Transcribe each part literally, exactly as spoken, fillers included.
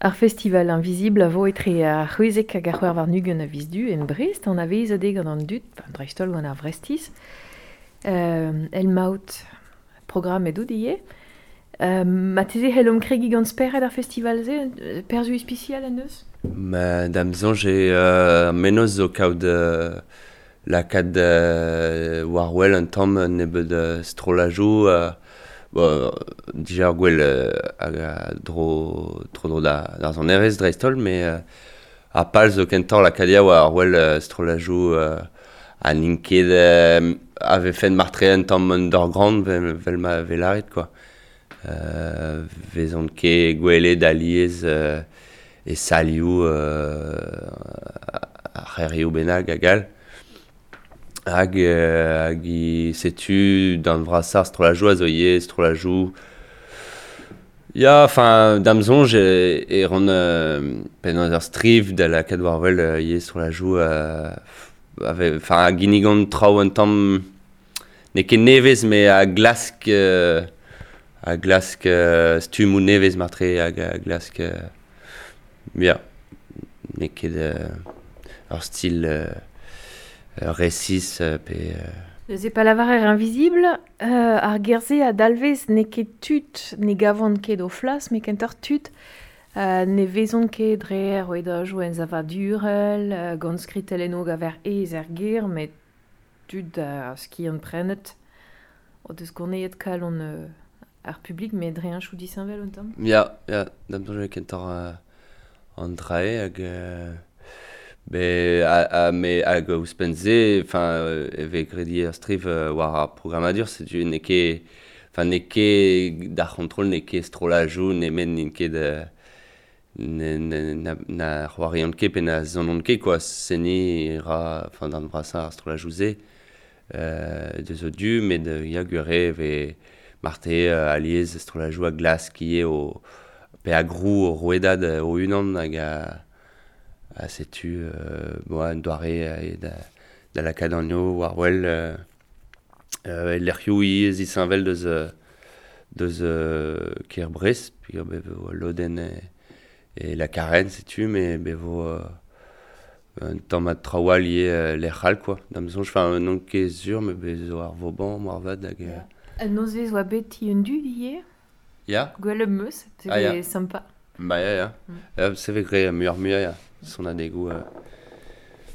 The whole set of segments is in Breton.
Ar festival Invisible a vo etre ar c'hwezek hag ar c'hwec'h warn-ugent a viz Du en Brest, an avezadeg gant an dud, enfin, dreist-holl gant ar Vrestiz. Euh, el maout programm edout ivez. Euh, ma teze c'hellomp kregiñ gant spered ar festival-se, perzhioù ispisial en deus? Ma da'm soñj eo euh, mennozh zo kaout euh, lakaat euh, war-wel un tamm nebeud euh, strollajoù euh, bon, dija ar gwell euh, hag a dro, tro-dro da, d'ar sonerezh dreist-holl, met euh, ar pal zo kentoc'h lakaat ya war wel euh, strollajoù euh, ha n'int ket euh, a vefen martre un tamm underground vel, vel ma vel aret, quoi. Euh, vezont ket gwelet alies euh, e salioù euh, ar c'hêrioù bennak hag all. Hag, euh, hag i setu d'an vrasañ strollajoù a zo ivez strollajoù. Ya, enfin, da'm soñj e, e ran euh, penaos ur striv da lakaat war wel euh, ivez strollajoù euh, ave, enfin, a ginnigan traoù un tamm n'eo ket nevez met a glask euh, a glask euh, stummoù nevez martre hag a glask euh, ya, n'eo ket euh, ur stil euh, resis euh, pe euh, Neuze pa lavarer Invisible, euh, ar ger-se a dalvez n'eo ket tud ne gavont ket o flas, met kentoc'h tud euh, ne vezont ket dre ar rouedajoù ensavadurel, euh, gant skritellennoù gaver aes er gêr, met tud a skiant prenet o deus goneet kalon euh, ar publik, met dre heñchoù disheñvel un tamm. Ya, ya, da'm soñj eo kentoc'h euh, an dra-se hag euh, be a, a, me hag ouzhpenn-se, enfin, euh, e vez graet ivez ar striv euh, war ar programmadur, setu n'eo ket, enfin, n'eo ket d'ar c'hontrol, n'eo ket strollajoù nemet n'int ket euh, ne, ne, na, na c'hoariont ket pe na sonont ket, quoi. Seniñ ra, enfin, d'an brasañ ar strollajoù-se euh, deus o du, met euh, ya gwir eo e vez marte euh, alies strollajoù a glask ivez o, pe a grou o rouedad euh, o-unan hag a a setu euh, bon, un doare euh, da, da lakaat anezho war wel euh, euh, e lec'hioù ivez disheñvel deus euh, deus euh, kêr Brest, peogwir be vo lodenn e, e la Carène, setu, met be vo euh, un tamm a traoù all ivez euh, lec'h all, quoi. Da'm soñj, enfin, n'on ket sur, met bez zo ar Vauban, moarvat, hag... Euh... Un nozvezh oa bet ti un dud ivez? Ya. Gwell am eus, se Ah, ya. vez sympa. Ba ya, ya. Mm. Euh, se vez graet muioc'h-muiañ, ya. Sonadegoù euh,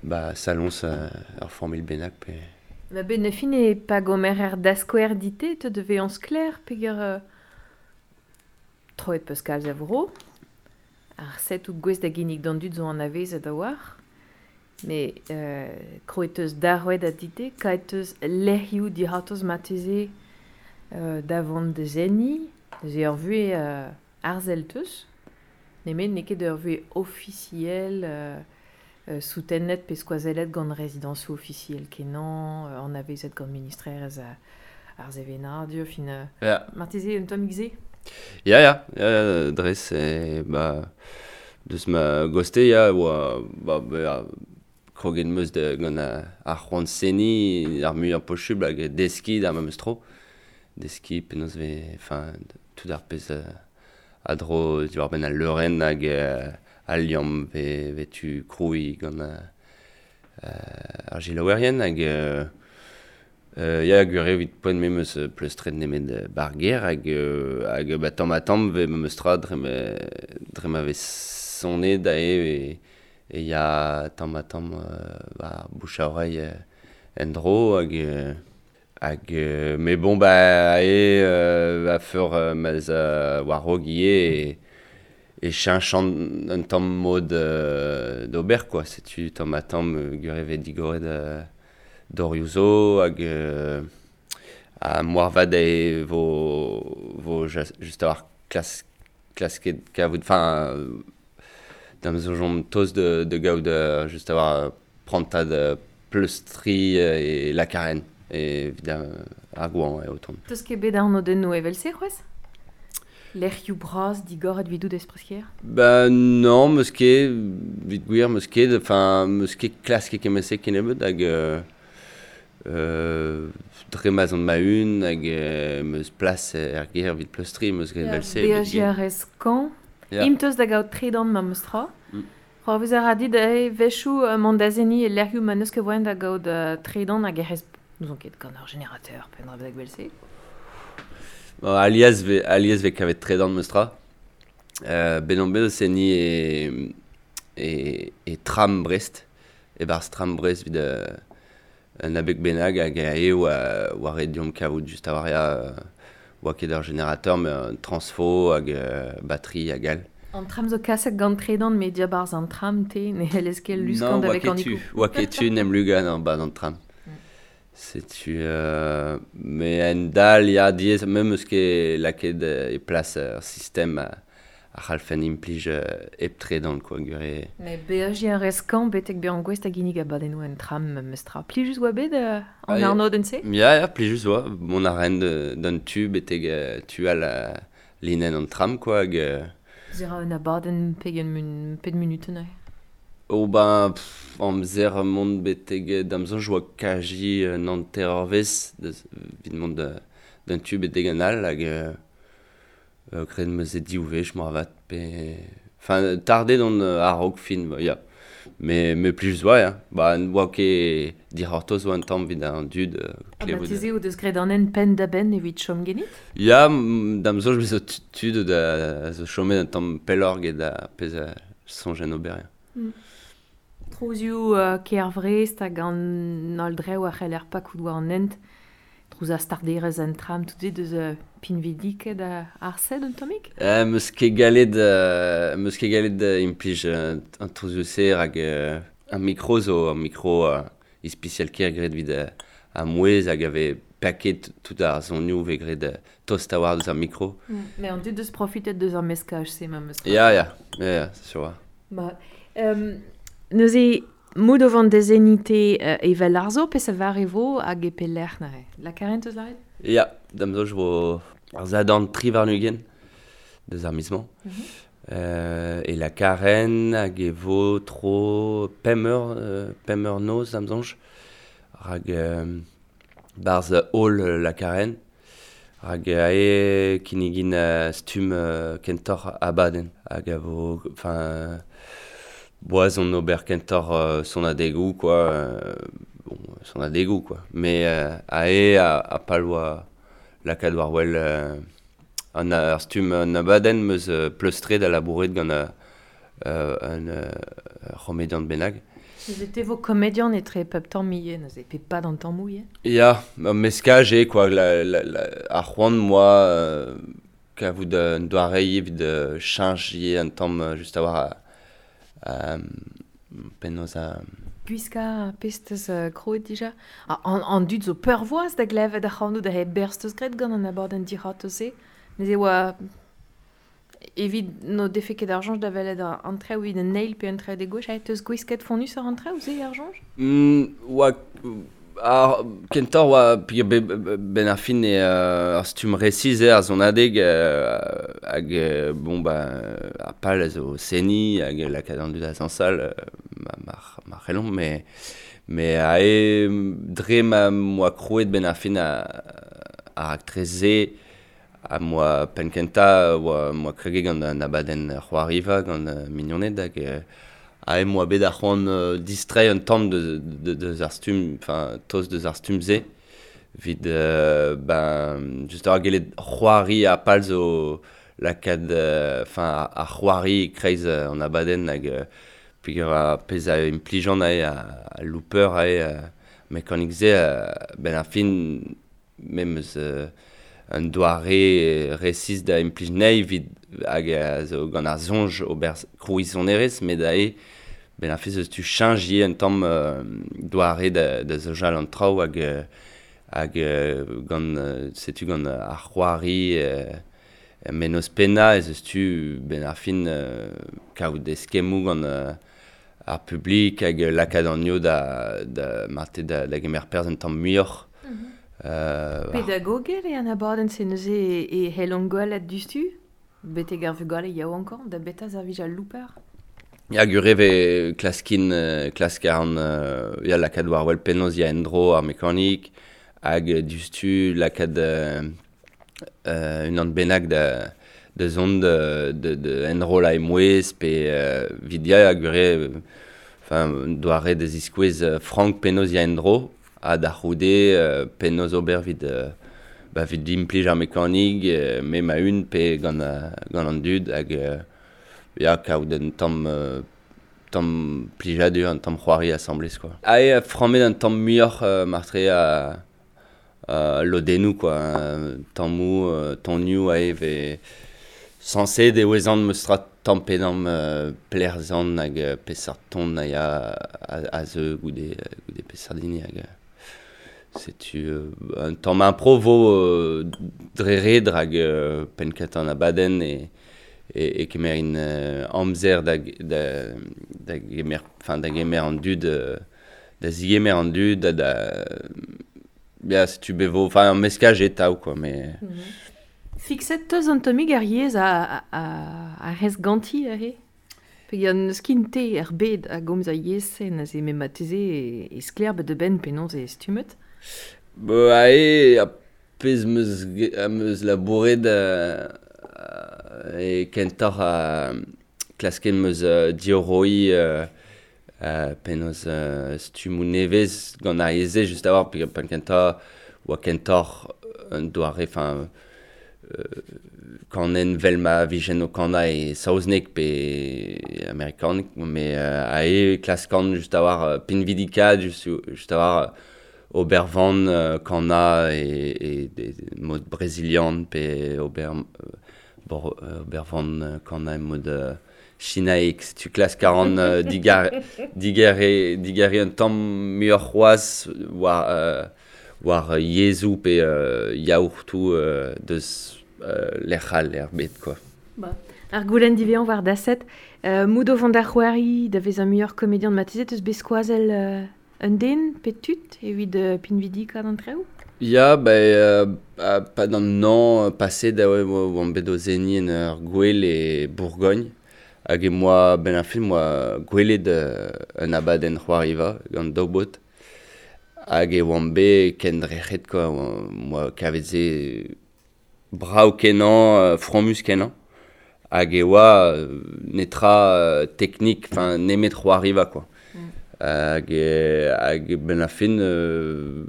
ba saloñs euh, ur familh bennak pe... Ma ben ne fin e pa gomer er daskouer dite te devez an sklaer peogwir euh, troet peus kalz a vro. Ar set out gouest da ginnig d'an dud zo anavezet a-walc'h. Mais euh, kroet eus darouet a dite, kaet eus lec'hioù dic'hortoz marteze euh, da vont da seniñ, neuze ur vuhez euh, arzel teus. Nemet n'eo ket ur vuhez ofisiel euh, euh, soutennet pe skoazellet gant rezidañsoù ofisiel kenañ, euh, anavezet gant ministrerezh ar, ar sevenadur, fin euh, Ya. marteze un tammig se? Ya, ya, ya, ya, dres, e, ba, deus ma goste, ya, oa, ba, ba, kroget 'm eus da, gant ar c'hoant seniñ ar muiañ posubl hag deskiñ d'ar memes tro. Deskiñ penaos vez, enfin, tout ar pezh euh, a dro diwar-benn al leurenn hag euh, al liamm ve, ve tu krouiñ gant euh, ar selaouerien hag euh, euh, ya gwir eo evit poent me 'm eus pleustret nemet bar gêr hag euh, hag ba tamm ha tamm vez memes tra dre ma, dre ma vez sonet aze e, e ya tamm ha tamm euh, ba bouche à oreille euh, en-dro hag euh, hag euh, mais bon ba aze euh, a-feur euh, ma'z a war-raok ivez e, e cheñch an, un tamm mod euh, d'ober, quoi. Setu tamm ha tamm euh, gwir eo vez digoret euh, dorioù zo hag euh, ha moarvat e vo, vo just a-walc'h klas, klasket kavout, enfin, da'm soñj omp tost de, de gaout euh, just a-walc'h prantad euh, pleustriñ e la Carène evit ar goañv eo o tont. Teus ket bet arnodennoù evel-se c'hoazh? Lec'hioù bras digoret evidout ez preskier? Ba non, 'meus ket, evit gwir 'meus ket, enfin, 'meus ket klasket kement-se kennebeut hag euh, euh, dre ma'z on ma-un hag euh, 'meus plas er gêr evit pleustriñ, 'meus graet evel-se. Beajiñ a rez kañv? Ya. Im teus da gaout tredan ma meus tra. Mm. C'hoarvez a ra dit e wechoù euh, mont da seniñ e lec'hioù ma n'eus ket voaien da gaout euh, tredan hag e rez n'ouzon ket gant ur générateur pe un dra bennak evel-se. Bon, alies ve, alies ve kavet tredan meus tra. Euh, bet on bet o seniñ e, e, e tram Brest, e-barzh tram Brest evit euh, un abeg bennak hag ae oa, oa ret deomp kavout just a-walc'h ya, euh, oa ket ur générateur mais un transfo hag euh, batterie hag all. An tram zo kaset gant tredan met diabarzh an tram te ne c'hellez ket Non, luskant oa avec ket an tu, ikoù. oa ket tu n'em lugan an ba an tram. Mm. Setu euh, mais en dal ya diaes me'm eus ket lakaet euh, e plas ur sistem a, a c'hallfen implij euh, hep tredan quoi, gure. Mais beajiñ a rez kañv betek bezañ gouest da ginnig abadennoù en tram meus tra. Plijus oa bet euh, an Ah, ya. arnodenn-se? Ya, ya, plijus oa. Mont a raen d'un tu betek euh, tu al euh, linenn an tram quoi hag euh, Se ra un abadenn pegen mun, pet munutenn eo. Oh ben, pff, amzer mont betek euh, da'm soñj oa kaji un hanter eurvezh deus evit mont da d'un tu betek an all hag euh, euh, graet 'm eus e div wech moarvat pe... Enfin, tardet on euh, a-raok fin, ba, ya. Mais, mais plijus oa, ya. Ba, n'oa ket dic'hortoz oa un tamm evit an dud euh, Ha klevout. marteze o deus graet an hent penn da benn evit chom genit? Ya, m- da'm soñj bez zo tu- tud da zo chomet un tamm pelloc'h get ar pezh a soñjen ober, ya. Mm. Trouzioù euh, kêr Vrest hag an holl drev a c'heller pakout war an hent. Trouz a starderez an tram tout se deus euh, pinvidiket a ar sed un tammig? Euh, 'm eus ket gallet euh, 'm eus ket gallet euh, implij euh, an trouzioù-se rak euh, ar mikro zo ur mikro euh, ispisial ker graet evit euh, ar mouezh hag a vez paket tout ar sonioù vez graet euh, tost a-walc'h deus ar mikro. Mm. Mais an dud deus profitet deus ar meskaj-se ma 'm eus tra. Ya, ya, ya, ya, c'est sûr. Ma, euh, neuze mout o vont da seniñ te euh, evel arzo pe sa var e vo hag e pelec'h neuze. La Karen teus lâret? Ya, da'm soñj vo ar Sadorn tri warn-ugent deus ar miz-mañ. Mm -hmm. Euh, e la Karen hag e vo tro pemp eur, euh, pemp eur noz da'm soñj. Rak euh, barzh holl la Karen. Rak ae kinnigin euh, stumm euh, kentoc'h abadenn. Hag a vo, enfin, boaz on ober kentoc'h euh, sonadegoù quoi, euh, bon, sonadegoù quoi. Mais euh, ae a, a pal oa lakaat war wel euh, an ar stumm an abadenn 'm eus euh, pleustret da labouret gant euh, euh, un euh, c'homedian bennak. Neuze te vo komedian etre pep tamm ivez, neuze pe pad an tammoù ivez? Ya, ur meskaj eo quoi, la, la, la, ar c'hoant moa euh, kavout un doare evit euh, cheñch ivez un tamm euh, just a-walc'h a, a, penaos a... Gwiskañ pezh teus euh, krouet dija. Ah, an, an dud zo peurvoas da glevet ar c'hanoù da he berzh teus graet gant an abadenn dic'hortoz-se. Neuze oa evit n'o defe ket ar soñj da welet an traoù evit an eil pe an traoù de gauche, aet teus gwisket fonnus ar an traoù se ar soñj? Mm, oa ar kentoc'h oa peogwir be, be, ben ar fin eo euh, ar stumm resis eo ar sonadeg euh, hag euh, bon ba ar pal a zo seniñ hag lakaat an dud da zañsal euh, ma, mar, mar c'hellomp mais mais ae dre ma 'm boa krouet ben ar fin a, ar raktres-se ha 'm boa penn-kentañ oa 'm boa kreget gant an abadenn c'hoariva gant euh, mignoned hag euh, ae 'm boa bet ar c'hoant euh, distreiñ un tamm deus, de, deus ar stumm, enfin tost deus ar stumm-se evit euh, ben just ar gellet c'hoari ha pal zo lakaat euh, enfin ar c'hoari e-kreiz euh, an abadenn hag euh, peogwir ar pezh a implijan ae a, a looper ae euh, mekanik-se euh, ben ar fin me 'm eus euh, un doare resis da implij anezhi evit hag a zo gant ar soñj ober krouiñ sonerezh met ae ben ar fin eus tu cheñch ivez un tamm euh, doare da, da soñjal an traoù hag euh, hag euh, gant euh, setu gant ar c'hoari euh, mennozh pennañ ez eus tu ben ar fin euh, kaout eskemmoù gant euh, ar publik hag lakaat an io da, da marte da, da gemer perzh un tamm muioc'h. Mm -hmm. Euh, Pedagogel eo an abadenn-se neuze e, e c'hellont gwelet diouzhtu? Betek ar vugale yaouankañ da beta servij al looper? Ya, gure vez klaskin, euh, klask a ran euh, ya lakaat war wel penaos ya en-dro ar mekanik hag euh, diouzhtu lakaat euh, euh, unan bennak da, da zont de, de, de enroll a emouez pe euh, vidia a gure enfin doare da ziskouez euh, frank penaos ya endro ha da c'houde euh, penaos ober vid euh, ba vid implij ar mekanik euh, me ma un pe gant, euh, gant an dud hag euh, ya kaout un tamm euh, tamm plijadur, un tamm c'hoari asamblez quoi. Ae frammet un tamm muioc'h euh, martre a, a lodennoù quoi, tammou, euh, tonioù ae ve sañset e ouezan meus tra tamm pe damm euh, plerzan hag euh, peseurt ton a ya a, a zeu goude, goude peseurt hini hag setu euh, un tamm impro vo euh, dre red hag euh, penn-kentañ an abadenn e e, e kemer in euh, amzer da, da, da gemer, enfin, da gemer an dud, euh, da zigemer an dud, da, da ya, setu bevo, enfin, un meskaj eo quoi, mais... Mm -hmm. Fixet teus an tammig ar yezh a, a, a rez ganti aze? Peogwir n'eus ket te er bed a gomz a yezh-se neuze me marteze e, e sklaer bet da benn penaos e stummet? Ba ae, a pezh meus, am eus labouret euh, e kentoc'h a klasket meus uh, diorroiñ euh, uh, penaos uh, stummoù nevez gant ar yezh-se just a-walc'h peogwir penn kentañ oa kentoc'h un doare enfin euh, kanen vel ma vijen o kanañ e saozneg pe amerikaneg mais euh, ae klaskan just a-walc'h uh, pinvidikaat just, just a-walc'h ober van uh, kanañ e, e, e mod brezilian pe ober uh, bor, ober van kanañ e mod uh, chinaek, setu klask a ran uh, digar, digare, digare un tamm muioc'h c'hoazh war, uh, war yezhoù pe uh, yaourtoù uh, deus uh, lec'h all er bed quoi. Ba. Ar goulenn divezañ war daset, euh, mout o vont da c'hoari da vezañ muioc'h komedian marteze teus bet skoazell euh, un den pe tud evit euh, pinvidikaat an traoù? Ya, ba, euh, pa d'an an paset da oa oan bet o seniñ en ur gwel e Bourgogne hag e moa ben ar film moa gwelet euh, un abadenn c'hoariva gant daou baotr hag e oan bet kendrec'het quoi, moa kavet se brav kenañ, fromus kenañ hag e oa netra euh, teknik, enfin nemet c'hoariva quoi. Mm. Hag e, hag ben ar fin euh,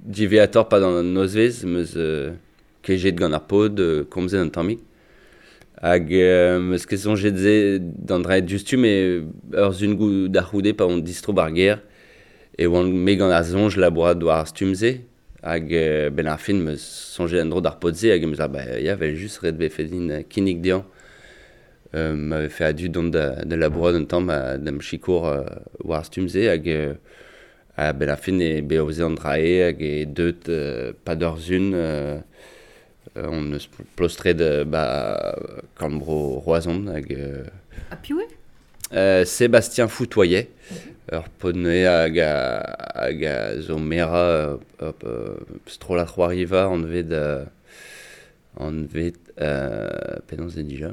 diveator pa d'an nozvezh meus euh, kejet gant ar paotr, euh, komzet un tammig. Hag euh, meus ket soñjet se d'an draet diouzhtu met ur sun goù da c'houde pa on distro bar gêr e oan me gant ar soñj labourat war ar stumm-se hag euh, ben ar fin meus soñjet en-dro d'ar paotr-se hag meus ba ya vel just ret vefe din kinnig dezhañ. Euh, m'avait fait a-du dont da, da labourat un tamm a, d'am sikour euh, war ar stumm-se hag euh, a ben ar fin e bet an drae hag e deut euh, pa d'ur sun euh, on eus plostret ba kambro Roazhon hag euh, Ha piv eo? euh, Sébastien Foutoyet ur paotr neuze hag a, hag a zo merañ ur strollad c'hoariva anvet euh, anvet euh, penaos eo dija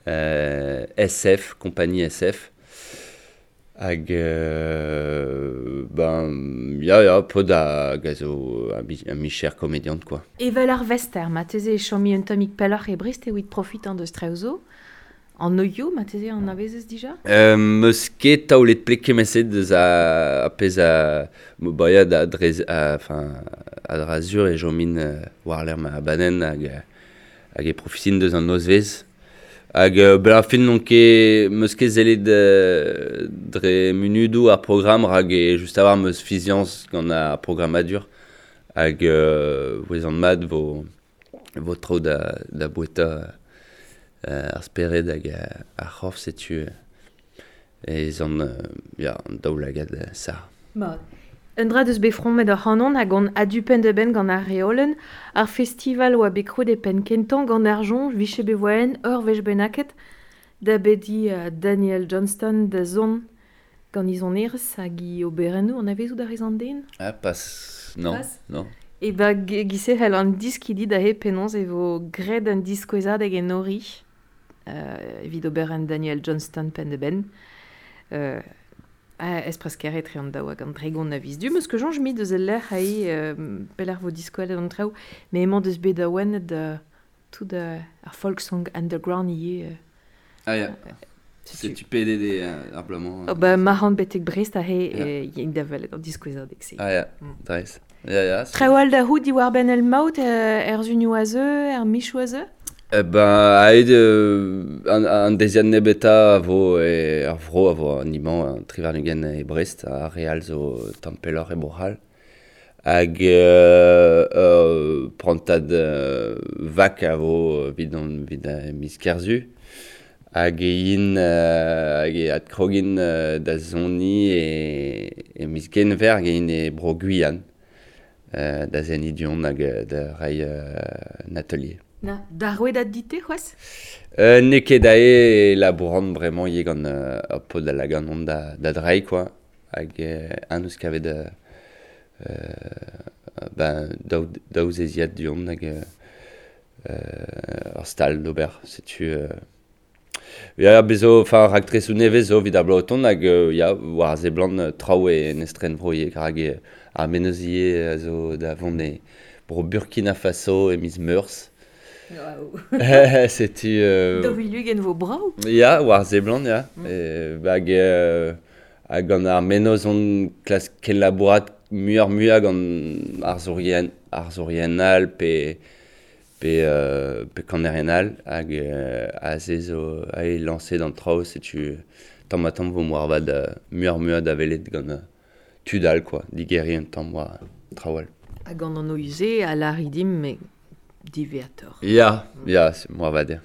euh, S F, compagnie S F hag euh, ben ya ya paotr hag a zo un micher komediant quoi. Evel ar vester, marteze e chomi un tammig pelloc'h e Brest evit profitañ deus traoù zo. An oioù, marteze an avezez dija? Euh, meus ket taolet pleg kement-se deus a, a pezh a, ba ya da dre, a, enfin, a dra sur e chomin euh, war-lerc'h ma abadenn hag, hag e profitin deus an nozvezh. Hag euh, ben ar fin n'on ket meus ket sellet euh, dre munudoù ar programm rak e just a-walc'h meus fiziañs gant ar programmadur hag euh, ouezan mat vo, vo tro da, da boueta euh, ar spered hag ar c'horf setu ez an, euh, ya, an daoulagad sar. Mat. Un dra deus bet fromet ar c'hanon hag an adu penn-da-benn gant ar reolenn, ar festival oa bet krouet e penn kentañ gant ar soñj vije bet voaen ur wech bennaket da bediñ uh, Daniel Johnston da zont gant he sonerezh hag he oberennoù anavezout a rez an den? Ah, pas, non, Pas. non. E ba gise c'hell an diskidi da he penaos e vo graet un diskouezadeg enori euh, evit oberenn Daniel Johnston penn-da-benn. Euh, Es prez etre an daou hag an tregont a viz du. Meus ket soñj mit deus el lec'h ae euh, pelec'h vo diskouelet an traoù, met emañ deus bet awenet euh, tout euh, ar folk song underground ivez. Euh, Ah ya, setu P D D ar bloaz-mañ. Oh, ba, marc'hant betek Brest aze e int da welet an diskouezadeg-se. Ah ya, Mm. dres. Ya, ya. Traoù all da c'hoût diwar-benn el maout er sunioù a zeu, er michoù a zeu? Eh ben, aet euh, an, an deziad nebeta a vo e, ar vro a vo an imañ an tri warn-ugent e Brest, ar re all zo tamm pelloc'h e Bro-C'hall. Hag euh, euh, prantad euh, vak a vo evit an, evit a miz Kerzu. Hag e yin, euh, hag e adkrogin euh, da soniñ e, e miz Genver hag e yin e Bro-Guyane, euh, da seniñ du-hont hag da reiñ euh, un atelier. Na, da rouedad dit-te c'hoazh? Euh, n'eo ket ae labouran bremañ ivez gant euh, ur paotr da lagan on da, da dreiñ quoi. Hag euh, an eus kavet euh, euh, ben, daou, daou zeziad du-hont hag euh, euh, ur stal d'ober. Setu... Euh, ya, bez zo, enfin, raktresoù nevez zo evit ar bloaz o tont hag euh, ya, war a seblant euh, traoù e en estrenvro ivez, hag e, ar mennozh ivez a zo da vont e bro Burkina Faso e miz Meurzh. Waouh. Setu... Euh, Daou vil ugent vo brav. Ya, war seblant, ya. Mm. E, hag, euh, hag gant ar mennozh on klask kenlabourat muioc'h muiañ gant arzourien, arzourien all pe, pe, euh, pe kanerien all, hag euh, aze zo ae lañset an traoù, setu tamm ha tamm vo moarvat euh, muioc'h muiañ da welet gant euh, tud all, quoi, digeriñ un tamm war traoù all. Hag gant an O U Z a lâri dimp, met diwezhatoc'h. Ya, ya, moarvat, ya.